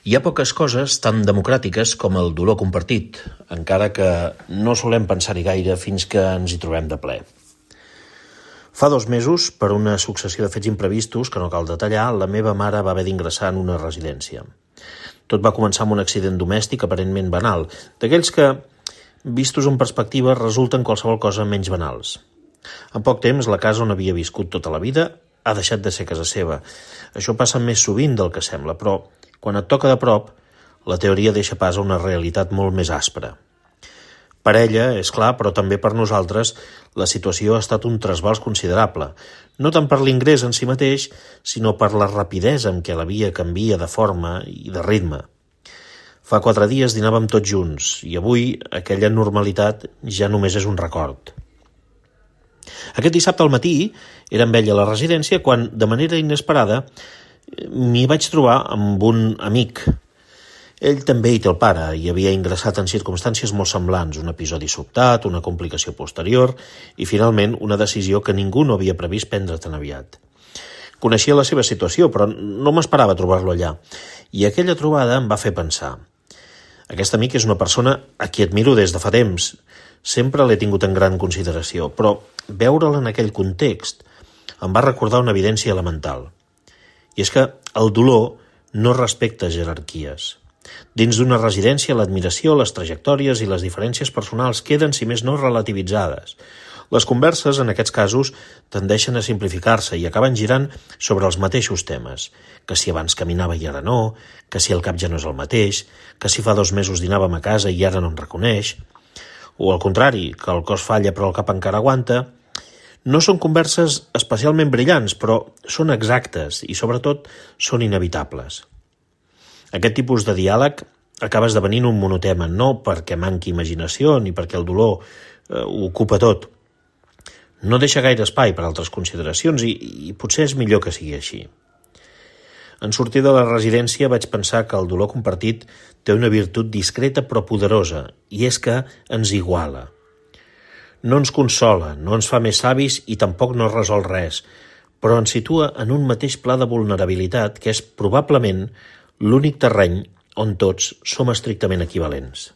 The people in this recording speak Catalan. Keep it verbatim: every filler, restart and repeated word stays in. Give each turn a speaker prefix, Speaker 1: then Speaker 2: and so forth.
Speaker 1: Hi ha poques coses tan democràtiques com el dolor compartit, encara que no solem pensar-hi gaire fins que ens hi trobem de ple. Fa dos mesos, per una successió de fets imprevistos que no cal detallar, la meva mare va haver d'ingressar en una residència. Tot va començar amb un accident domèstic aparentment banal, d'aquells que, vistos en perspectiva, resulten qualsevol cosa menys banals. En poc temps, la casa on havia viscut tota la vida ha deixat de ser casa seva. Això passa més sovint del que sembla, però quan et toca de prop, la teoria deixa pas a una realitat molt més àspera. Per ella, és clar, però també per nosaltres, la situació ha estat un trasbals considerable, no tant per l'ingrés en si mateix, sinó per la rapidesa amb què la via canvia de forma i de ritme. Fa quatre dies dinàvem tots junts i avui aquella normalitat ja només és un record. Aquest dissabte al matí era amb ella a la residència quan, de manera inesperada, m'hi vaig trobar amb un amic. Ell també hi té el pare i havia ingressat en circumstàncies molt semblants, un episodi sobtat, una complicació posterior i, finalment, una decisió que ningú no havia previst prendre tan aviat. Coneixia la seva situació, però no m'esperava trobar-lo allà, i aquella trobada em va fer pensar. Aquest amic és una persona a qui admiro des de fa temps. Sempre l'he tingut en gran consideració, però veure'l en aquell context em va recordar una evidència elemental. I és que el dolor no respecta jerarquies. Dins d'una residència, l'admiració, les trajectòries i les diferències personals queden, si més no, relativitzades. Les converses, en aquests casos, tendeixen a simplificar-se i acaben girant sobre els mateixos temes. Que si abans caminava i ara no, que si el cap ja no és el mateix, que si fa dos mesos dinàvem a casa i ara no en reconeix, o al contrari, que el cos falla però el cap encara aguanta. No són converses especialment brillants, però són exactes i, sobretot, són inevitables. Aquest tipus de diàleg acaba esdevenint un monotema, no perquè manqui imaginació ni perquè el dolor eh, ho ocupa tot. No deixa gaire espai per altres consideracions i, i potser és millor que sigui així. En sortir de la residència vaig pensar que el dolor compartit té una virtut discreta però poderosa, i és que ens iguala. No ens consola, no ens fa més savis i tampoc no resol res, però ens situa en un mateix pla de vulnerabilitat que és probablement l'únic terreny on tots som estrictament equivalents.